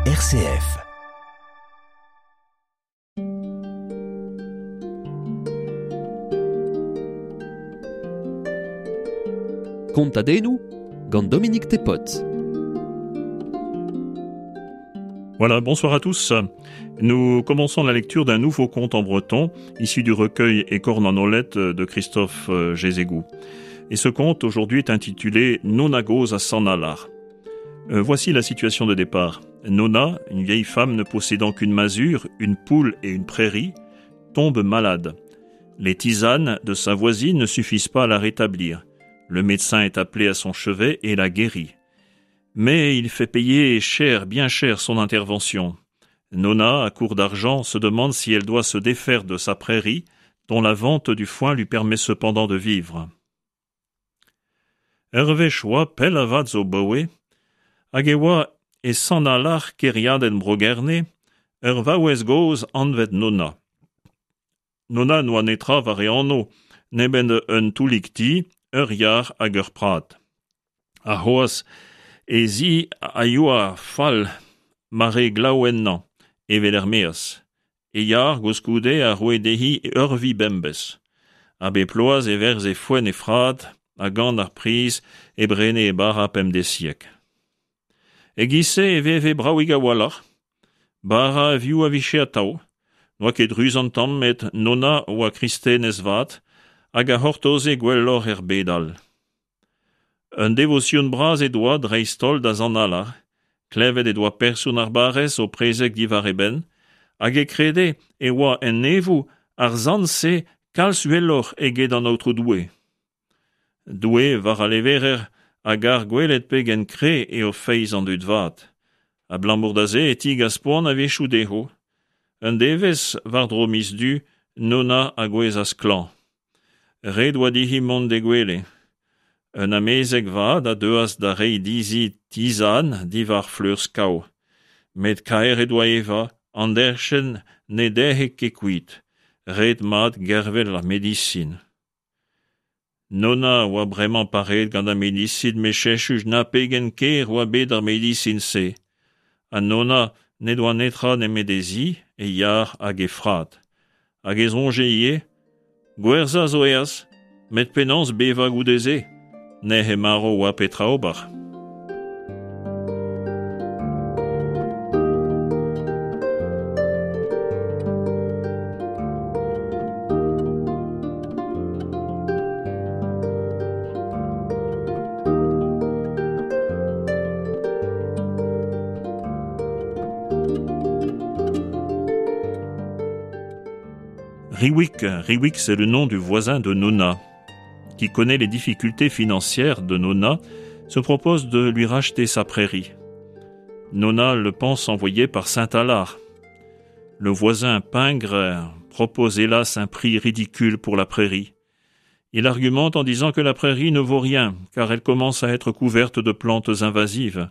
RCF. Kontadennoù gant Dominique Tepot. Voilà, bonsoir à tous. Nous commençons la lecture d'un nouveau conte en breton, issu du recueil Écorne en olette de Christophe Jézégou. Et ce conte aujourd'hui est intitulé Nona goz à Sanalar. Voici la situation de départ. Nona, une vieille femme ne possédant qu'une masure, une poule et une prairie, tombe malade. Les tisanes de sa voisine ne suffisent pas à la rétablir. Le médecin est appelé à son chevet et la guérit. Mais il fait payer cher, bien cher, son intervention. Nona, à court d'argent, se demande si elle doit se défaire de sa prairie, dont la vente du foin lui permet cependant de vivre. Ur wech oa pell avat zo 'baoe, hag e oa e Sant-Alar kêriadenn Bro-Gerne ur vaouez gozh anvet Nona. Nona n'oa netra war e anv nemet un toullig ti, ur yar hag ur prad. Ha c'hoazh he zi a yoa fall ma rae glav ennañ, evel er-maez. E yar koulskoude a roe dezhi ur vi bemdez. Ha bep bloaz e werzhe foenn he frad ha gant ar priz e brene he bara pemdeziek. E-giz-se e veve bravik a-walc'h. Bara ha vioù a vije atav. N'oa ket ruz an tamm met Nona oa kristenez vat hag a c'hortoze gwelloc'h er bed all. Un devosion bras he doa dreist-holl da Sant Alar. Klevet he doa person ar barrez o prezeg diwar e benn hag e krede e oa en neñvoù ar sant-se kalz uheloc'h eget an Aotrou Doue. Doue, war a leverer, a gar gwelet pegen kreñv eo feiz an dud vat. Abalamour da se e tigas poan a-wechoù dezho. Un devezh, war-dro miz Du, Nona a gouezhas klañv. Ret oa dezhi mont d'he gwele. Un amezeg vat a deuas da reiñ dezhi tizan diwar fleur skav. Met kaer he doa evañ, an derchenn ne dec'he ket kuit. Ret mat gervel ar medisin. Nona a oa bremañ pareet gant ar medisin met cheñchus na pegen ker oa bet ar medisin-se. Ha Nona n'he doa netra nemet he zi, he yar hag he frad. Hag e soñje ivez, Gwerzhañ zo aes, met penaos bevañ goude-se? Nec'h marv oa petra ober. Riwick, Riwick, c'est le nom du voisin de Nona, qui connaît les difficultés financières de Nona, se propose de lui racheter sa prairie. Nona le pense envoyé par Saint-Alard. Le voisin pingre propose hélas un prix ridicule pour la prairie. Il argumente en disant que la prairie ne vaut rien, car elle commence à être couverte de plantes invasives.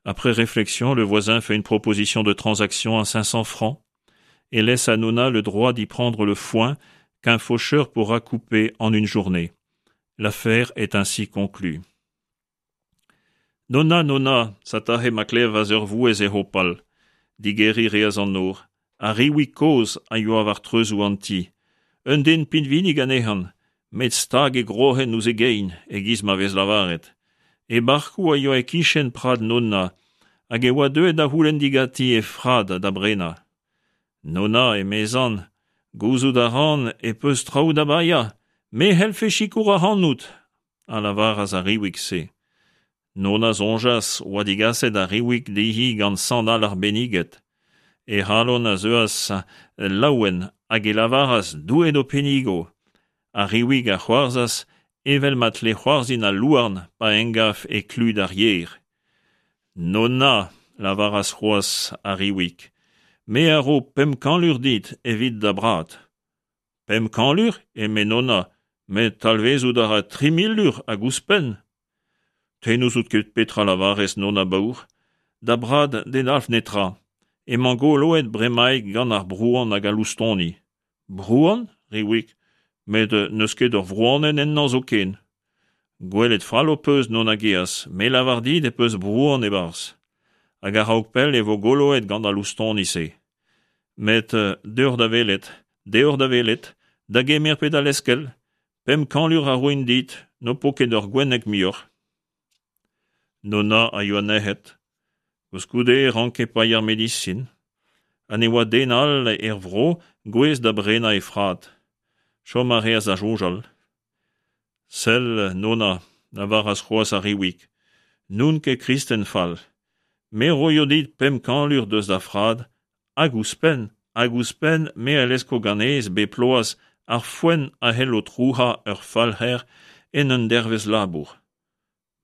Après réflexion, le voisin fait une proposition de transaction à 500 francs et laisse à Nona le droit d'y prendre le foin qu'un faucheur pourra couper en une journée. L'affaire est ainsi conclue. Nona, Nona, satahe ma klevas ur vouezh é hopal. Digeriñ reas an nor. Ar Riwig kozh a yoa war treuzoù an ti. Un den pinvidik anezhan, met stag e groc'hen ouzh e gein, e-giz ma vez lavaret. E barkoù a yoa e-kichen prad Nonna, hag e oa deuet da c'houlenn diganti he frad da brenañ. Nonna, emezan, gouzout a ran e peus traoù da baeañ, me c'hellfe sikour ac'hanout, a lavaras ar Riwig-se. Nonna soñjas oa digaset ar Riwig dezhi gant Sant Alar benniget. He c'halon a zeuas laouen hag e lavaras Doue d'ho pennigo. Ar Riwig a c'hoarzhas evel ma tle c'hoarzhin al louarn pa engav e klud ar yer. Nonna, lavaras c'hoazh ar Riwig, me a ro 500 lur dit evit da brad. 500 lur, eme Nonna, met talvezout a ra 3000 lur hag ouzhpenn. Te n'ouzout ket petra lavarez, Nonna baour. Da brad ne dalv netra. Emañ goloet bremaik gant ar brouan hag al loustoni. Brouan, Riwig, met n'eus ket ur vrouanenn ennañ zoken. Gwelet fall ho peus, Nonna geaz, me lavar dit e peus brouan e-barzh. Hag a-raok pell e vo goloet gant al loustoni-se. Met deoc'h da welet, deoc'h da welet, da gemer pe da leskel, 500 lur a roin dit, n'ho po ket ur gwenneg muioc'h. Nonna a yoa nec'het. Koulskoude e ranke paeañ ar medisin. Ha ne oa den all er vro gouest da brenañ he frad. Chom a reas da soñjal. Sell, Nonna, lavaras c'hoazh ar Riwig, n'on ket kristen fall. Me 'roio dit 500 lur deus da frad, hag ouzhpenn, hag ouzhpenn me a lesko ganez bep ploaz ar foenn a c'hello trouc'hañ ur falc'her en un dervezh labour.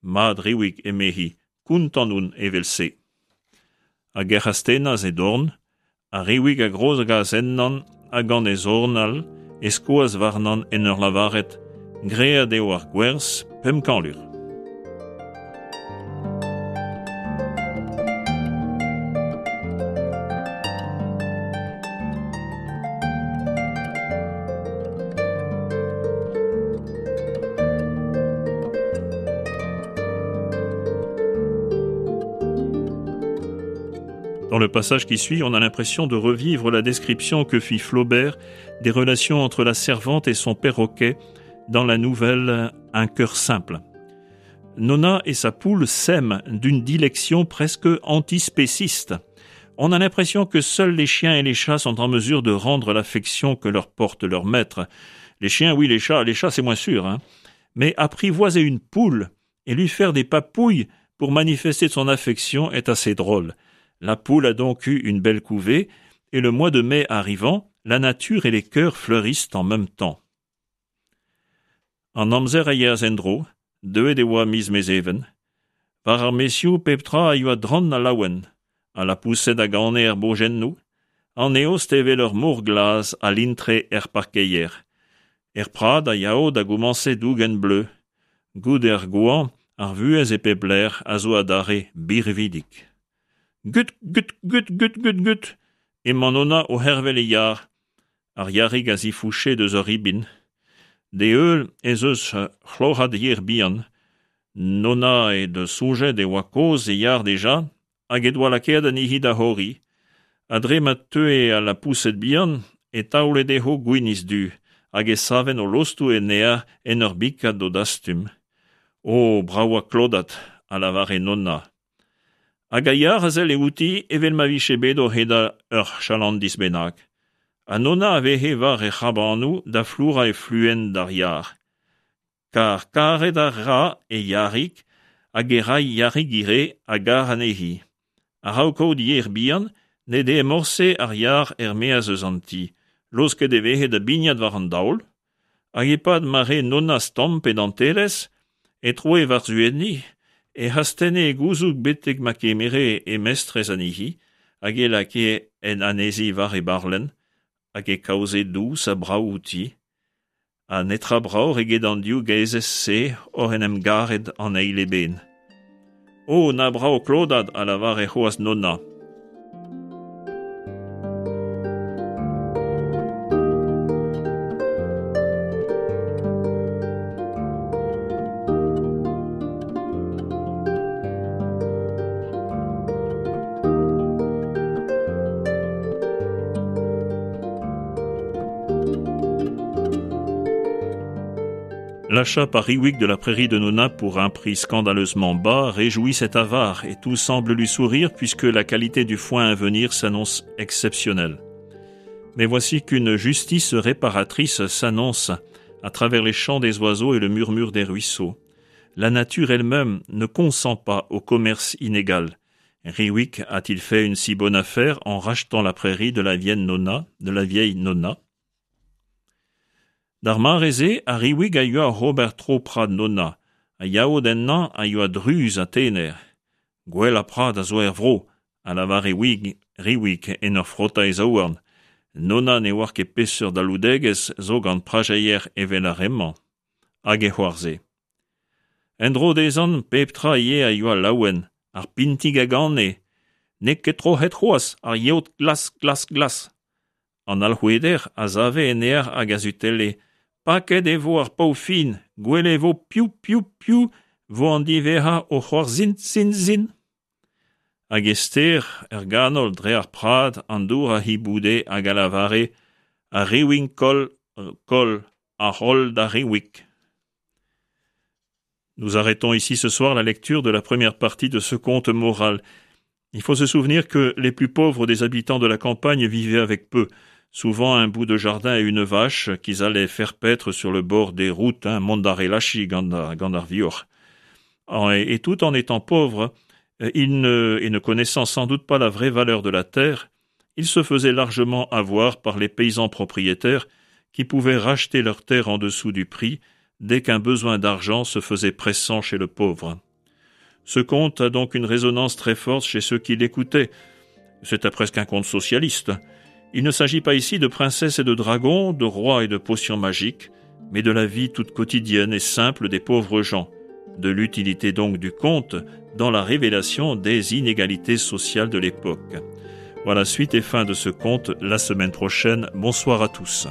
Mat, Riwig, emezi, kontant on evel-se. Hag ec'h astennas he dorn, ha Riwig a grogas ennan ha gant e zorn all e skoas warnan en ur lavaret Graet eo ar gwerzh 500 lur. Dans le passage qui suit, on a l'impression de revivre la description que fit Flaubert des relations entre la servante et son perroquet dans la nouvelle Un cœur simple. Nonna et sa poule s'aiment d'une dilection presque antispéciste. On a l'impression que seuls les chiens et les chats sont en mesure de rendre l'affection que leur porte leur maître. Les chiens, oui, les chats, les chats c'est moins sûr, hein. Mais apprivoiser une poule et lui faire des papouilles pour manifester son affection est assez drôle. La poule a donc eu une belle couvée, et le mois de mai arrivant, la nature et les cœurs fleurissent en même temps. An amzer a yeas en-dro, deuet e oa miz Mezheven. War ar maezioù pep tra a yoa drant ha laouen. Al lapoused a gane er bojennoù, an eost evel ur mor glas a lintre er parkeier. Er prad a yao da gomañse dougen bleu. Goude ar goañv, ar vuhez e pep lec'h a zo adarre birvidik. Gut, gut, gut, gut, gut, gut! Emañ Nonna o c'hervel e yar. Ar yarig a zifouche deus ur ribin. D'e heul ez eus c'hloc'had yer bihan. Nonna he deus soñjet e oa kozh e yar dija hag he doa lakaet anezhi da c'horiñ. Ha dre ma teue al lapoused bihan e taole dezho gwinizh du hag e savent o lostoù en aer en ur bikat d'o dastum. O, bravañ klodad, a lavare Nonna. Hag a yar a selle outi evel ma vije bet o c'hedal ur chalandis bennak. Ha Nonna a veze war he c'hrabanoù da flourañ he fluenn d'ar yar. Kar karet a ra e yarig hag e ray yarig ivez a gar anezhi. A-raok kaout yer bihan ne dee morse ar yar er-maez eus an ti, laosket e veze da bignat war an daol, Hag e-pad ma rae Nonna stamm pe dantelezh e troe war-zu enni, ec'h astenne he gouzoug betek ma kemere he mestrez anezhi hag e lakae en anezhi war he barlenn hag e kaoze dous ha brav outi, ha netra bravoc'h eget an div gaezez-se oc'h en em garet an eil eben. O, na brav klodad, a lavare c'hoazh Nonna. L'achat par Riwick de la prairie de Nona pour un prix scandaleusement bas réjouit cet avare et tout semble lui sourire puisque la qualité du foin à venir s'annonce exceptionnelle. Mais voici qu'une justice réparatrice s'annonce à travers les chants des oiseaux et le murmure des ruisseaux. La nature elle-même ne consent pas au commerce inégal. Riwick a-t-il fait une si bonne affaire en rachetant la prairie de la vieille Nonna, de la vieille Nonna D'ar mare-se, ar Riwig a yoa oc'h ober tro prad Nonna, ha yaod ennañ a yoa druz ha tener. Gwellañ prad a zo er vro, a lavare Wig, Riwig en ur frotañ e zaouarn. Nonna ne oar ket peseurt aloudegezh zo gant prajeier evel ar re-mañ. Hag e c'hoarzhe. En-dro dezhan pep tra ivez a yoa laouen, ar pintig a gane, N'eo ket troc'het c'hoazh ar yeot glas glas glas. An alc'houeder a save en aer hag a sutelle, Paket e vo ar pav fin, gwelet e vo piv piv piv 'vo an diwezhañ o c'hoarzhin zin zin. Hag e ster, er ganol dre ar prad, an dour a hiboude hag a lavare Ar riwink koll, koll, ar c'holl d'ar riwik. Nous arrêtons ici ce soir la lecture de la première partie de ce conte moral. Il faut se souvenir que les plus pauvres des habitants de la campagne vivaient avec peu, souvent un bout de jardin et une vache qu'ils allaient faire paître sur le bord des routes, hein, mont d'ar elachi gant gant ar vioc'h. Et, et tout en étant pauvres, ils ne, et ne connaissant sans doute pas la vraie valeur de la terre, ils se faisaient largement avoir par les paysans propriétaires qui pouvaient racheter leur terre en dessous du prix dès qu'un besoin d'argent se faisait pressant chez le pauvre. Ce conte a donc une résonance très forte chez ceux qui l'écoutaient. C'était presque un conte socialiste. Il ne s'agit pas ici de princesses et de dragons, de rois et de potions magiques, mais de la vie toute quotidienne et simple des pauvres gens, de l'utilité donc du conte dans la révélation des inégalités sociales de l'époque. Voilà suite et fin de ce conte la semaine prochaine. Bonsoir à tous.